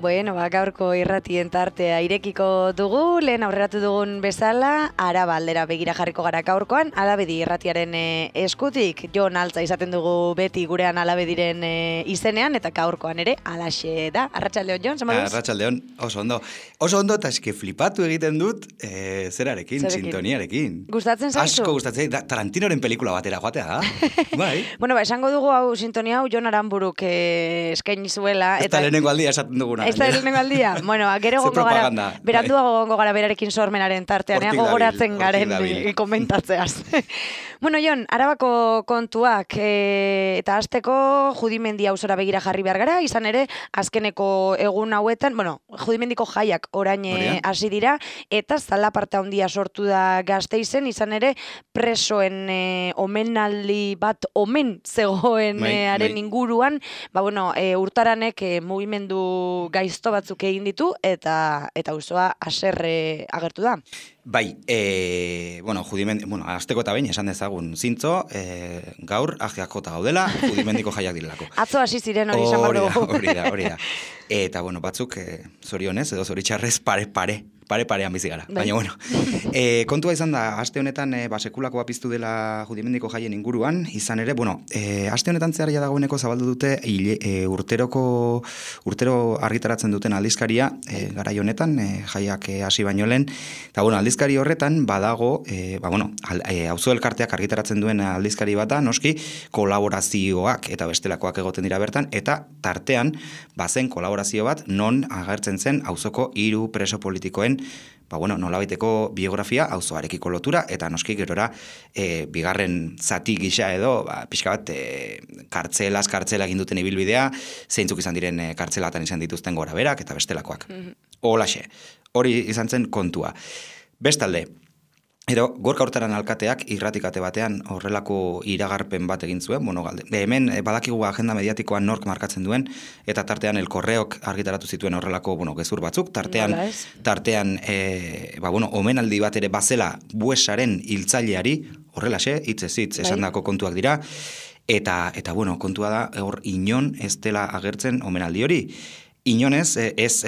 Bueno, gaurko irratien tartea irekiko dugu, lehen aurreratu dugun bezala, Araba aldera begira jarriko gara gaurkoan, Alabedi irratiaren eskutik, Jon Altza izaten dugu beti gurean Alabediren izenean, eta gaurkoan ere, alaxe da. Arratsaldeon, Jon, zama duz? Arratsaldeon, oso ondo, eta eske flipatu egiten dut zerarekin, sintoniarekin. Gustatzen zaizu? Asko gustatzen, Tarantinoren pelikula batera joatea da. Bai. Bueno, esango dugu hau sintonia hau Jon Aranburuk eskaini zuela. Ez da lehenengo aldia esaten duguna. Ez da lehenengo aldia. Bueno, gero gongo gara, beranduago gongo gara berarekin sormenaren tartean, gogoratzen garen komentatzeaz. Bueno, Jon, Arabako kontuak eta hasteko Judimendi auzora begira jarri behar gara, izan ere, azkeneko egun hauetan, bueno, Judimendiko jaiak orain hasi dira, eta zalaparta handia sortu da Gasteizen, izan ere, presoen omenaldi bat omen zegoen haren inguruan, bueno, urtaranek mugimendu gaizto batzuk egin ditu, eta auzoa haserre agertu da. Bai, azteko eta behin esan dezagun zintzo, gaur ajeak jota gaudela, Judimendiko jaiak direlako. Atzo hasi ziren hori esan bat dugu. Hori da. Eta, batzuk zorionez edo zoritxarrez parean bizi gara. Bai. Baina, kontua izan da, aste honetan sekulako piztu dela Judimendiko jaien inguruan, izan ere, aste honetan zehar dagoeneko zabaldu dute urtero argitaratzen duten aldizkaria, garai honetan, jaiak hasi baino lehen, eta aldizkari horretan badago, auzo elkarteak argitaratzen duen aldizkari bata, noski, kolaborazioak eta bestelakoak egoten dira bertan, eta tartean, bazen kolaborazio bat, non agertzen zen auzoko 3 preso politikoen nolabaiteko biografia auzoarekiko lotura, eta noski gerora bigarren zati gisa edo, pixka bat kartzela egin duten ibilbidea, zeintzuk izan diren kartzelatan izan dituzten gora berak, eta bestelakoak. Holaxe, hori izan zen kontua. Bestalde, Gorka Hurtaran alkateak irratikate batean horrelako iragarpen bat egin zuen, hemen badakigu agenda mediatikoan nork markatzen duen, eta tartean El Correok argitaratu zituen horrelako gezur batzuk, tartean omenaldi bat ere bazela Buesaren hiltzaileari, horrelaxe, hitzez hitz esandako kontuak dira, eta kontua da, hor inon ez dela agertzen omenaldi hori. Inonez, ez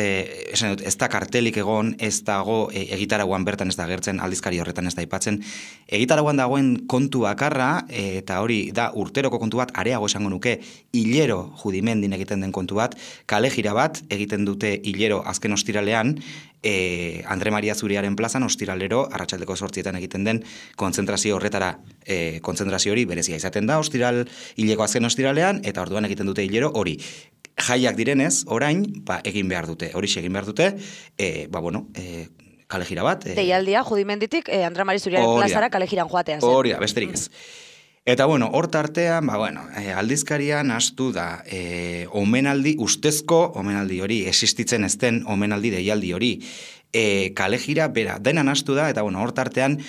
da kartelik egon, ez dago egitaragoan bertan ez da agertzen, aldizkari horretan ez da aipatzen. Egitaragoan dagoen kontu bakarra, eta hori da urteroko kontu bat, areago esango nuke, hilero Judimendin egiten den kontu bat, kale jira bat egiten dute hilero azken ostiralean, Andre Maria Zuriaren plazan ostiralero, arratsaldeko 8etan egiten den kontzentrazio horretara, kontzentrazio hori berezia izaten da, hileko azken ostiralean, eta orduan egiten dute hilero hori. Jaiak direnez, orain, egin behar dute. Horixe egin behar dute, kale jira bat. Deialdia, Judimenditik, Andre Maria Zuriaren plazara kale jiran joatea. Hori da, besterik ez. Eta hor tartean, aldizkarian hastu da ustezko omenaldi hori, existitzen ez den omenaldi deialdi hori, kale jira, bera, denan hastu da, eta hor tartean,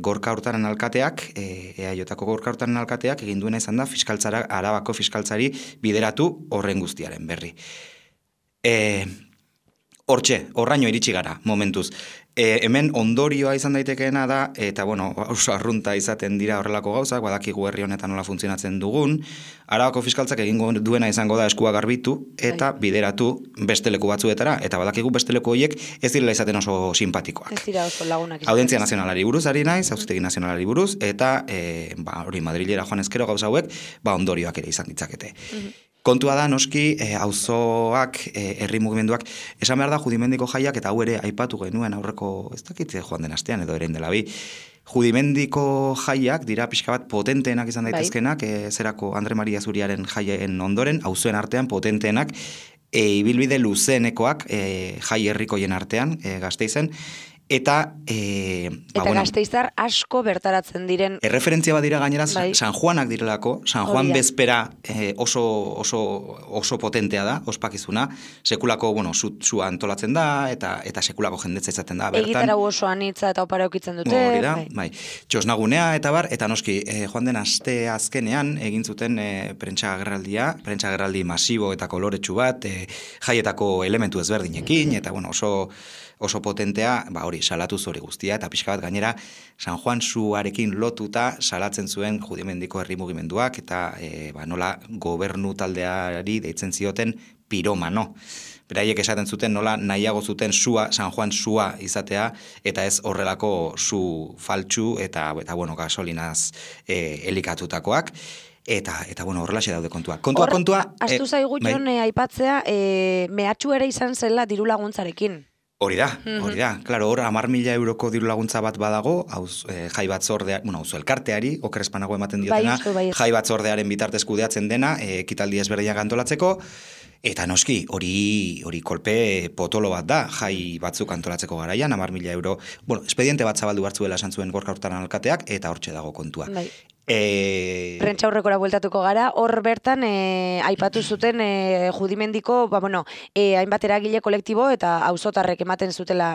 Gorka Hurtaran alkateak, EAJko Gorka Hurtaran alkateak, egin duena izan da, Arabako fiskaltzari bideratu horren guztiaren berri. Horraino iritsi gara, momentuz. Hemen ondorioa izan daitekeena da, eta oso arrunta izaten dira horrelako gauzak, badakigu herri honetan nola funtzionatzen dugun, Arabako fiskaltzak egingo duena izango da eskua garbitu, eta bideratu beste leku batzuetara, eta badakigu beste leku horiek ez direla izaten oso simpatikoak. Ez dira oso lagunak. Audientzia nazionalari buruz ari naiz, auzitegi nazionalari buruz, eta hori Madrilera joan ezkero gauza hauek, ondorioak ere izan ditzakete. Kontua da, noski, auzoak, herri mugimenduak, esan behar da Judimendiko jaiak, eta hau ere aipatu genuen aurreko, ez dakitze joan den astean edo erein dela bi, Judimendiko jaiak dira pixka bat potenteenak izan daitezkenak, zerako Andre Maria Zuriaren jaien ondoren, auzoen artean potenteenak, ibilbide luzeenekoak jai herrikoien artean, Gasteizen, eta Gasteiztar asko bertaratzen diren erreferentzia bat dira gainera San Juanak direlako, San Juan bezpera oso potentea da, ospakizuna, sekulako sua antolatzen da, eta sekulako jendetza izaten da bertan. Egitarau oso anitza eta opara eukitzen dute. Hori da, txosnagunea eta noski joan den aste azkenean egin zuten prentsa agerraldi masibo eta koloretsu bat, jaietako elementu ezberdinekin, eta oso potentea, hori, salatu hori guztia, eta pixka bat gainera San Juan suarekin lotuta salatzen zuen Judimendiko herri mugimenduak, eta nola gobernu taldeari deitzen zioten piromano. Beraiek esaten zuten nola nahiago zuten sua, San Juan sua izatea, eta ez horrelako su faltsu eta bueno, gasolinaz elikatutakoak. Eta bueno, horrelaxe daude kontua. Kontua... Astu zaigu jon aipatzea, mehatxu ere izan zela diru laguntzarekin. Hori da. Claro, hor 10.000 euroko diru laguntza bat badago, jai batzordea, auzo elkarteari, oker espanago ematen diotena, jai batzordearen bitartez kudeatzen dena, ekitaldi ezberdinak antolatzeko, eta noski, hori kolpe potolo bat da, jai batzuk antolatzeko garaian, 10.000 euro, expediente bat zabaldu hartzuela esan zuen Gorka Hurtaran alkateak, eta hortxe dago kontua. Prentsaurrekora bueltatuko gara, hor bertan aipatu zuten Judimendiko, hainbat eragile kolektibo eta auzotarrek ematen zutela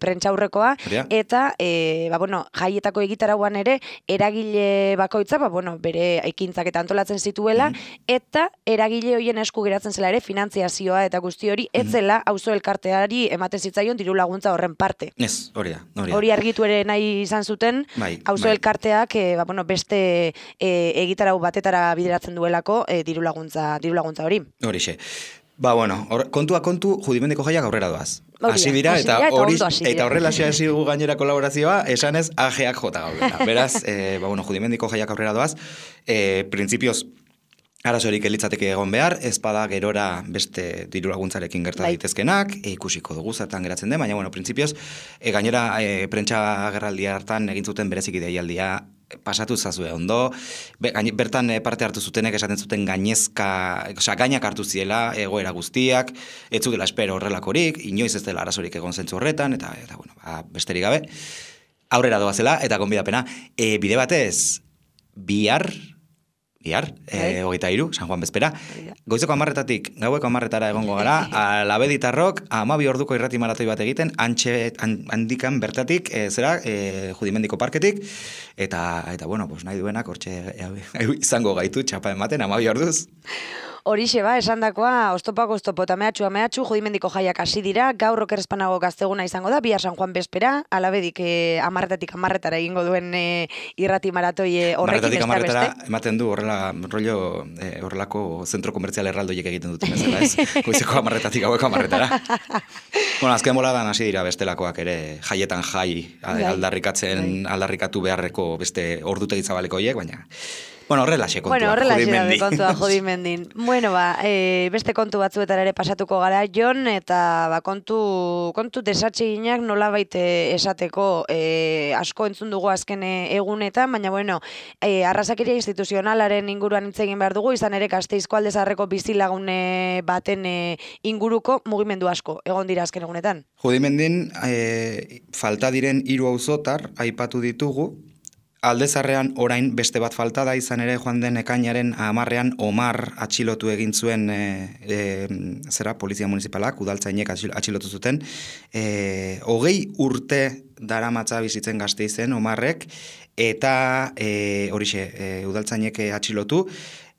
prentsaurrekoa, eta jaietako egitarauan ere eragile bakoitza, bere ekintzak eta antolatzen zituela, eta eragile hoien esku geratzen zela ere finantziazioa eta guzti hori, etzela auzo elkarteari ematen zitzaion diru laguntza horren parte. Ez, hori da. Hori argitu ere nahi izan zuten, auzo elkarteak beste egitarau batetara bideratzen duelako diru laguntza hori. Horixe. Kontu, Judimendiko jaiak aurrera doaz. Hasi dira, eta horrela hasi dugu gainera kolaborazioa, esanez ajeak jota gaudela. Beraz, Judimendiko jaiak aurrera doaz, printzipioz, arazorik elitzateke egon behar, ezpada gerora beste diru laguntzarekin gerta daitezkenak, ikusiko dugu zertan geratzen den, baina, printzipioz, gainera prentsa agerraldia hartan egin zuten bereziki deialdia pasatu zazue ondo, bertan parte hartu zutenek esaten zuten gainak hartu ziela egoera guztiak, ez zutela espero horrelakorik, inoiz ez dela arazorik egon zentzu horretan, eta besterik gabe, aurrera doazela, eta gonbidapena, bide batez, bihar, 23, San Juan bezpera, goizeko 10:00-tatik gaueko 10:00-tara egongo gara, Labeditarrok 12 orduko irrati maratoi bat egiten, handikan bertatik, Judimendiko parketik, eta nahi duenak hortxe izango gaitu txapa ematen 12 orduz. Horixe esandakoa, oztopak oztopo eta mehatxu, Judimendiko jaiak hasi dira, gaur oker espanago gazteguna izango da, bihar San Juan bezpera, Alabedik 10:00-tatik egingo duen irrati maratoi horrekin beste. 10:00-tara ematen du horrelako zentro komertzial erraldoiek egiten duten bezala, ez? Goizeko 10:00-tatik gaueko 10:00-tara. Azken boladan hasi dira bestelakoak ere, jaietan aldarrikatu beharreko beste ordutegi zabaleko horiek, baina... horrelaxe kontua, Judimendin. Beste kontu batzuetara ere pasatuko gara, Jon, eta kontu desatseginak nolabait esateko asko entzun dugu azken egunetan, baina, arrazakeria instituzionalaren inguruan hitz egin behar dugu, izan ere Gasteizko Alde Zaharreko bizilagune baten inguruko mugimendu asko, egon dira azken egunetan. Judimendin, falta diren 3 auzotar aipatu ditugu, Alde Zaharrean orain beste bat falta da, izan ere joan den ekainaren 10-ean Omar atxilotu egin zuen polizia municipalak, udaltzainek atxilotu zuten. 20 urte daramatza bizitzen Gasteizen Omarrek, eta udaltzainek atxilotu,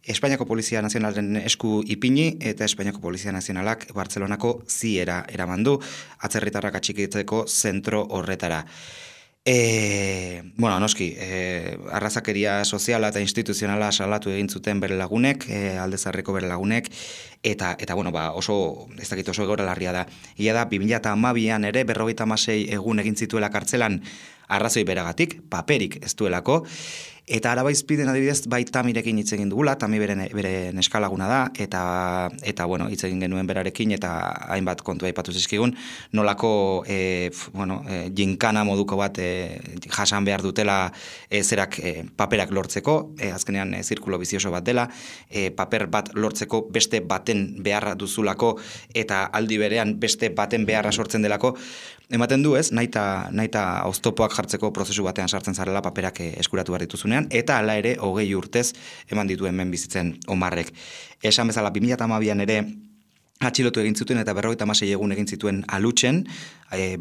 Espainiako Polizia Nazionalen esku ipini, eta Espainiako Polizia Nazionalak Bartzelonako ziera eramandu, atzerritarrak atxikitzeko zentro horretara. Noski, arrazakeria soziala eta instituzionala salatu egin zuten bere lagunek, Alde Zaharreko bere lagunek, eta oso egoera larria da. Ia da, 2012an ere 56 egun egin zituela kartzelan arrazoi beragatik, paperik ez duelako, eta Arabaizpiden adibidez bai Tamirekin hitz egin dugula, Tami bere neskalaguna da, eta hitz egin genuen berarekin, eta hainbat kontu aipatu zizkigun, nolako jinkana moduko bat jasan behar dutela paperak lortzeko, azkenean zirkulo bizioso bat dela, paper bat lortzeko beste baten beharra duzulako, eta aldi berean beste baten beharra sortzen delako, ematen du ez, naita oztopoak jartzeko prozesu batean sartzen zarela paperak eskuratu behar dituzunean, eta hala ere 20 urtez eman dituen hemen bizitzen Omarrek. Esan bezala 2012an ere atxilotu egin zuten eta 56 egun egin zituen Alutxen,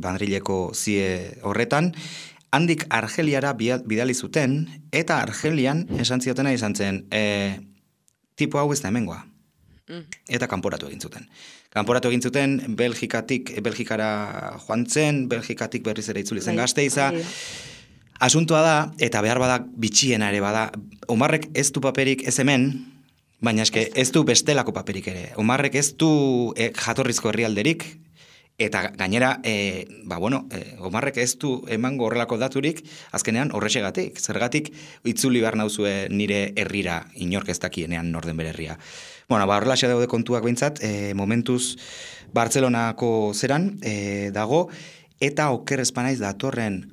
Madrileko zie horretan, handik Argeliara bidali zuten, eta Argelian esan ziotena izan zen, tipo hau ez da hemengoa. Eta kanporatu egin zuten. Kanporatu egin zuten, Belgikara joan zen, Belgikatik berriz ere itzuli zen Gasteiza. Asuntoa da, eta behar bada bitxiena ere bada, Omarrek ez du paperik ez hemen, Baina eske ez du bestelako paperik ere. Omarrek ez du jatorrizko herrialderik, eta gainera, Omarrek ez du emango horrelako daturik, azkenean horrexegatik. Zergatik itzuli behar nauzue nire herrira inork ez dakienean norden bere herria. Horrelaxe daude kontuak behintzat, momentuz Bartzelonako zeran dago, eta oker espanaiz datorren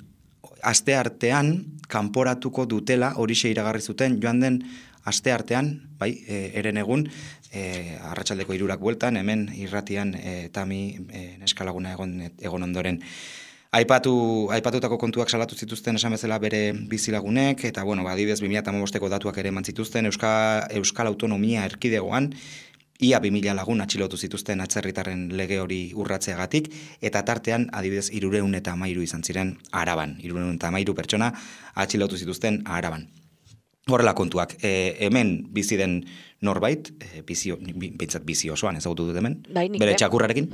aste artean kanporatuko dutela, horixe iragarri zuten, joan den aste artean, eren egun, arratsaldeko 3 bueltan, hemen irratian Tami neskalaguna egon ondoren. Aipatutako kontuak salatu zituzten esan bezala bere bizilagunek, eta adibidez 2015ko datuak ere eman zituzten, Euskal Autonomia Erkidegoan, ia 2000 lagun atxilotu zituzten atzerritarren lege hori urratzeagatik, eta tartean adibidez 313 izan ziren Araban, 313 pertsona atxilotu zituzten Araban. Horrela kontuak, hemen bizi den norbait, bintzat bizi osoan ezagutu dut hemen, bere txakurrarekin,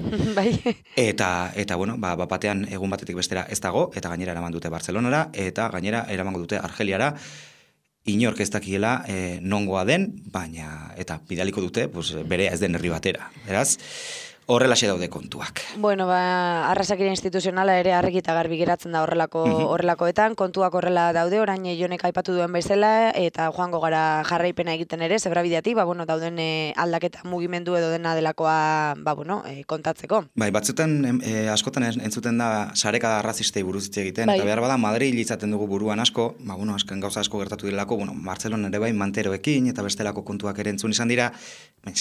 eta batean egun batetik bestera ez dago, eta gainera eraman dute Bartzelonara, eta gainera eramango dute Argeliara, inork ez dakiela nongoa den, baina, eta bidaliko dute, bere ez den herri batera, beraz, horrelaxe daude kontuak. Arrazakira instituzionala ere argi eta garbi geratzen da horrelakoetan, kontuak horrela daude, orain Jonek aipatu duen bezala, eta joango gara jarraipena egiten ere, zebrabideatik, dauden aldaketa mugimendu edo dena delakoa, kontatzeko. Batzutan askotan entzuten da sareka arrazistei buruz hitz egiten, eta behar bada Madrid izaten dugu buruan asko, azken gauza asko gertatu direlako, Bartzelona ere manteroekin, eta bestelako kontuak ere entzun izan dira,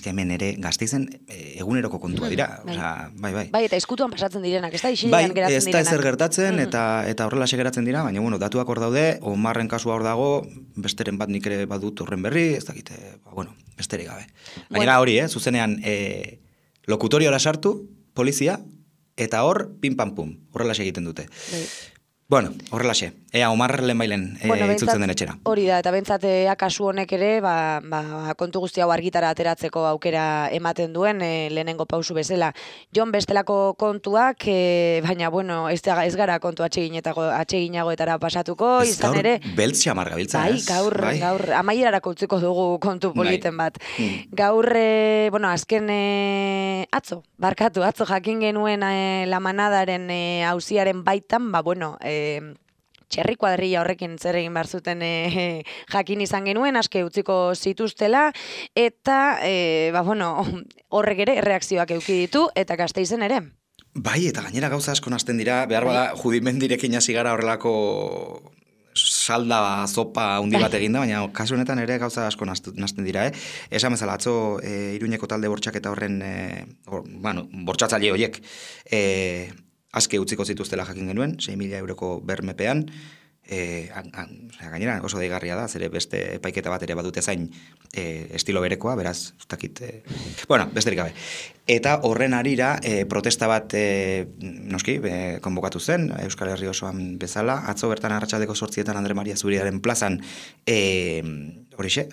hemen ere Gasteizen eguneroko kontua dira. Bai, eta eskutuan pasatzen direnak, ez da isilean geratzen direnak. Ez da ezer gertatzen, eta horrelaxe geratzen dira, baina datuak hor daude, Omarren kasua hor dago, besteren bat nik ere badut horren berri, ez dakite, besterik gabe. Gainera hori, zuzenean lokutoriora sartu, polizia, eta hor, pim-pam-pum, horrelaxe egiten dute. Horrelaxe, Omar lehenbailen itzultzen den etxera. Hori da, eta bentsat kasu honek ere, kontu guzti hau argitara ateratzeko aukera ematen duen lehenengo pausu bezala. Jon bestelako kontuak, baina, ez gara kontu atseginagoetara pasatuko, izan ere... Beltz xamar gabiltza, ez? Gaur, amaierarako utziko dugu kontu politen bat. Gaur, azken atzo jakin genuen La Manadaren auziaren baitan, txerri kuadrilla horrekin zer egin behar zuten jakin izan genuen, aske utziko zituztela, eta horrek ere reakzioak eduki ditu, eta Gasteizen ere. Eta gainera gauza asko nazten dira, behar bada judimendirekin hasi gara horrelako salda zopa handi bat eginda, baina kasu honetan ere gauza asko nazten dira, Esan bezala, atzo Iruñeko talde bortxaketa horren, bortxatzaile horiek, aske utziko zituztela jakin genuen, 6.000 euroko bermepean, gainera oso deigarria da, zere beste epaiketa bat ere badute zain estilo berekoa, beraz, besterik gabe. Eta horren arira, protesta bat konbokatu zen, Euskal Herri osoan bezala, atzo bertan arratsaldeko 8 Andre Maria Zuriaren plazan,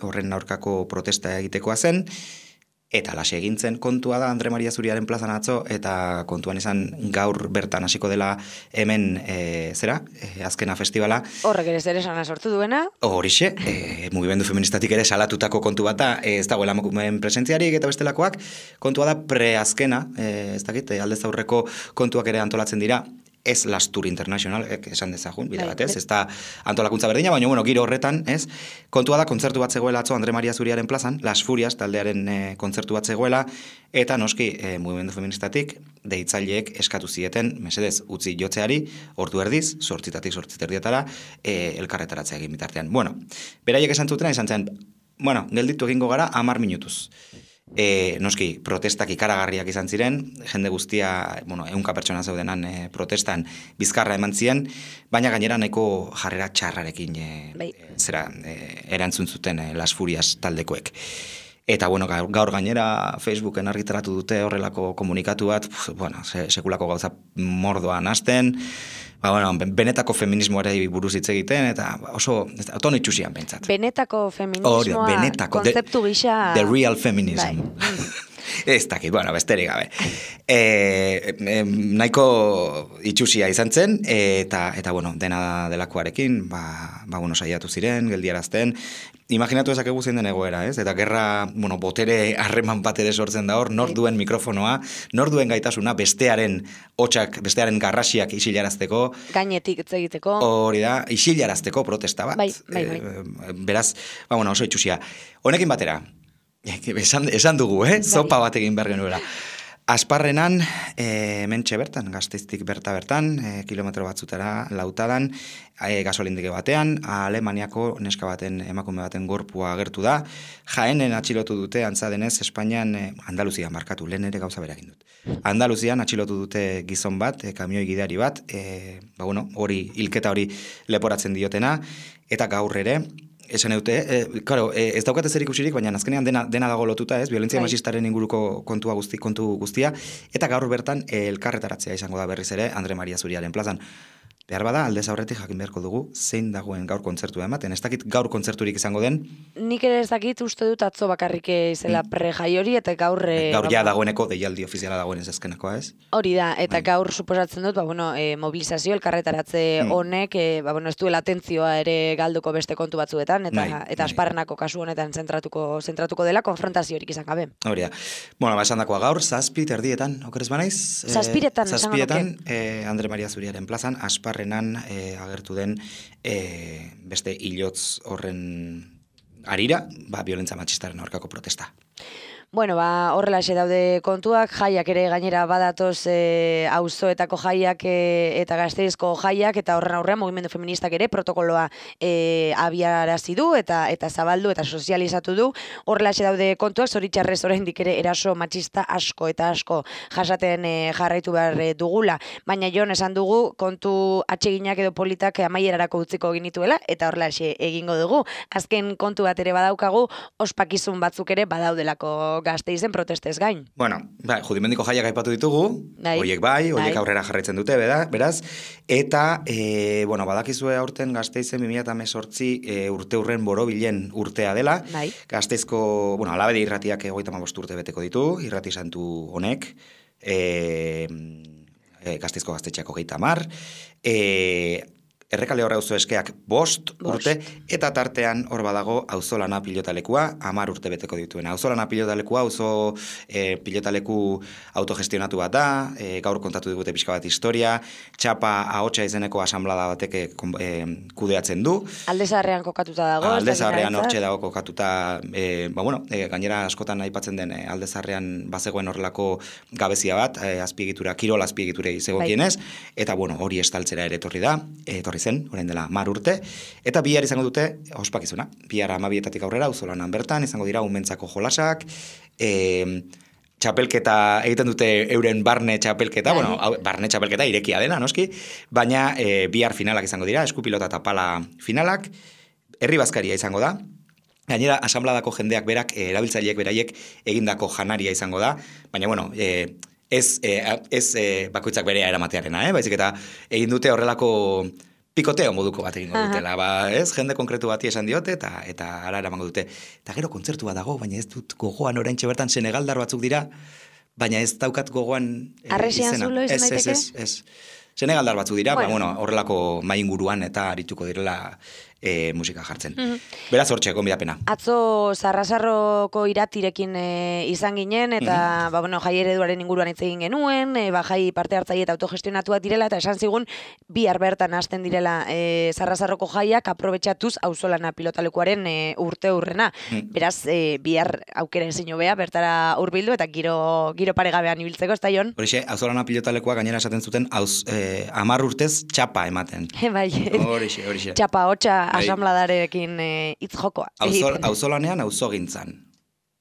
horren aurkako protesta egitekoa zen, eta lase egintzen kontua da Andre Maria Zuriaren plazan atzo, eta kontuan izan gaur bertan hasiko dela hemen azkena festivala. Horrek ere zer esana sortu duena? Horixe, mugimendu feministatik ere salatutako kontu bat da, ez dagoela emakumeen presentziarik eta bestelakoak, kontua da preazkena, ez dakit, aldez aurreko kontuak ere antolatzen dira, ez Lastur International, esan dezagun, bide batez, ez da antolakuntza berdina, baina giro horretan, kontua da kontzertu bat zegoela atzo Andre Maria Zuriaren plazan, Las Furias taldearen kontzertu bat zegoela, eta noski mugimendu feministatik deitzaileek eskatu zieten, mesedez, utzi jotzeari, ordu erdiz, 8:00 8:30 elkarretaratzea egin bitartean. Beraiek esan zutena izan zen, gelditu egingo gara 10 minutuz. Noski, protestak ikaragarriak izan ziren, jende guztia, 100 pertsona zeudenan protestan bizkarra eman ziren, baina gainera nahiko jarrera txarrarekin erantzun zuten Las Furias taldekoek. Eta gaur gainera Facebooken argitaratu dute horrelako komunikatu bat, sekulako gauza mordoa nazten, benetako feminismoari buruz hitz egiten, eta oso tono itxusian pentsat. Benetako feminismoa, kontzeptu gisa... The real feminism. Ez dakit, besterik gabe. Nahiko itxusia izan zen, eta dena delakoarekin, saiatu ziren, geldiarazten, Imaginatu ezakegu zein den egoera, ez? Eta gerra, botere harreman bat ere sortzen da hor, nor duen mikrofonoa, nor duen gaitasuna, bestearen hotxak, bestearen garrasiak isilarazteko. Gainetik ez egiteko. Hori da, isilarazteko protesta bat. Bai. Beraz, oso itxusia. Honekin batera, esan dugu, zopa bat egin behar genuela. Asparrenan, mentxe bertan, Gasteiztik bertan, kilometro batzutara lautadan, gasolindike batean, Alemaniako neska baten, emakume baten gorpua agertu da. Jaenen atxilotu dute, antza denez, Espainian, Andaluzian markatu, lehen ere gauza berekin dut. Andaluzian atxilotu dute gizon bat, kamioi gidari bat, hori, hilketa hori leporatzen diotena, eta gaur ere, esan eute, ez daukate zer ikusirik, baina azkenean dena dago lotuta, ez? Violentzia machistaren inguruko kontu guztia, eta gaur bertan elkarretaratzea izango da berriz ere Andre Maria Zuriaren plazan. Behar bada, aldez aurretik jakin beharko dugu, zein dagoen gaur kontzertua ematen. Ez dakit gaur kontzerturik izango den. Nik ere ez dakit uste dut atzo bakarrik izela prejai hori, eta gaur... Gaur ja dagoeneko, deialdi ofiziala dagoen ez azkenakoa, ez? Hori da, eta gaur suposatzen dut, mobilizazio, elkarretaratze honek, ez duela atentzioa ere galduko beste kontu batzuetan, eta Asparrenako kasu honetan zentratuko dela konfrontaziorik izan gabe. Hori da. Esan dakoa gaur, 7 erdietan, okerez banaiz? 7etan, Andre Maria Zuriaren plazan, Asparrenan agertu den beste hilotz horren arira, violentza matxistaren aurkako protesta. Horrelaxe daude kontuak, jaiak ere gainera badatoz auzoetako jaiak eta Gasteizko jaiak, eta horren aurrean mugimendu feministak ere protokoloa abiarazi du eta zabaldu eta sozializatu du. Horrelaxe daude kontuak, zoritxarrez oraindik ere eraso matxista asko eta asko jasaten jarraitu behar dugula, baina Jon esan dugu kontu atseginak edo politak amaierarako utziko ginituela, eta horrelaxe egingo dugu. Azken kontu bat ere badaukagu, ospakizun batzuk ere badaudelako Gasteizen protestez gain. Judimendiko jaiak aipatu ditugu, horiek aurrera jarraitzen dute, beraz, eta, badakizue aurten Gasteizen 2018 urte hurren borobilen urtea dela, Gasteizko, Alabedi irratiak 35 urte beteko ditu, irrati santu honek, Gasteizko gaztetxeako 30, Errekale horre auzo eskeak 5 urte, eta tartean hor badago auzolana pilotalekua 10 urte beteko dituen. Auzolana pilotalekua, auzo pilotaleku autogestionatu bat da, gaur kontatu digute pixka bat historia, Txapa ahotsa izeneko asamblada batek kudeatzen du. Aldezarrean kokatuta dago. Aldezarrean hortxe dago kokatuta, gainera askotan aipatzen den Aldezarrean bazegoen horrelako gabezia bat, azpiegitura, kirol azpiegiturei zegokienez, eta hori estaltzera ere etorri zen, orain dela 10 urte, eta bihar izango dute ospakizuna. Bihar 12etatik aurrera, auzolanan bertan, izango dira umentzako jolasak, txapelketa, egiten dute euren barne txapelketa, barne txapelketa irekia dena, noski, baina bihar finalak izango dira, eskupilota eta pala finalak, herri bazkaria izango da, gainera asambladako jendeak berak, erabiltzaileek beraiek egindako janaria izango da, baina ez bakoitzak berea eramatearena, baizik eta egin dute horrelako pikoteo moduko bat egingo dutela, jende konkretu bati esan diote, eta ara eramango dute. Eta gero kontzertu bat dago, baina ez dut gogoan oraintxe bertan senegaldar batzuk dira, baina ez daukat gogoan Arresian zulo izan daiteke? Ez. Senegaldar batzuk dira, horrelako mainguruan eta arituko direla musika jartzen. Beraz hortxe, gonbidapena. Atzo Sarrasarroko iratirekin izan ginen, eta jai ereduaren inguruan hitz egin genuen, jai parte hartzaile eta autogestionatuak direla, eta esan zigun bihar bertan hasten direla Sarrasarroko jaiak aprobetxatuz auzolana pilotalekuaren urte hurrena. Beraz, bihar aukera ezin hobea bertara hurbildu eta giro paregabean ibiltzeko, ez da Jon? Horixe, auzolana pilotalekua gainera esaten zuten 10 urtez txapa ematen. Horixe. Txapa hotxa asambledarekin hitz jokoa. Auzolanean auzogintzan.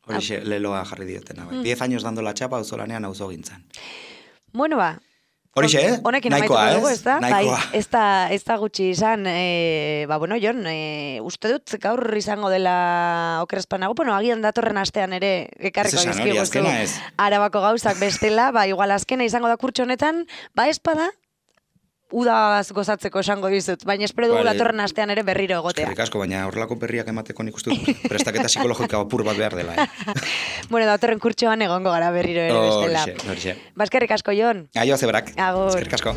Horixe leloa jarri diotena. 10 años dando la chapa, auzolanean auzogintzan. Horixe, nahikoa, ez? Nahikoa. Ez da gutxi izan, Jon, uste dut gaur izango dela okerrezpanago, agian datorren astean ere ekarriko dizkiguztu Arabako gauzak bestela, igual azkena izango da kurtso honetan, espada, udaz gozatzeko esango dizut, baina espero dugu datorren astean ere berriro egotea. Eskerrik asko, baina horrelako berriak emateko nik uste dut prestaketa psikologika apur bat behar dela. Datorren kurtsoan egongo gara berriro ere bestela. Horixe. Eskerrik asko, Jon. Aio, zeberak. Agur. Eskerrik asko.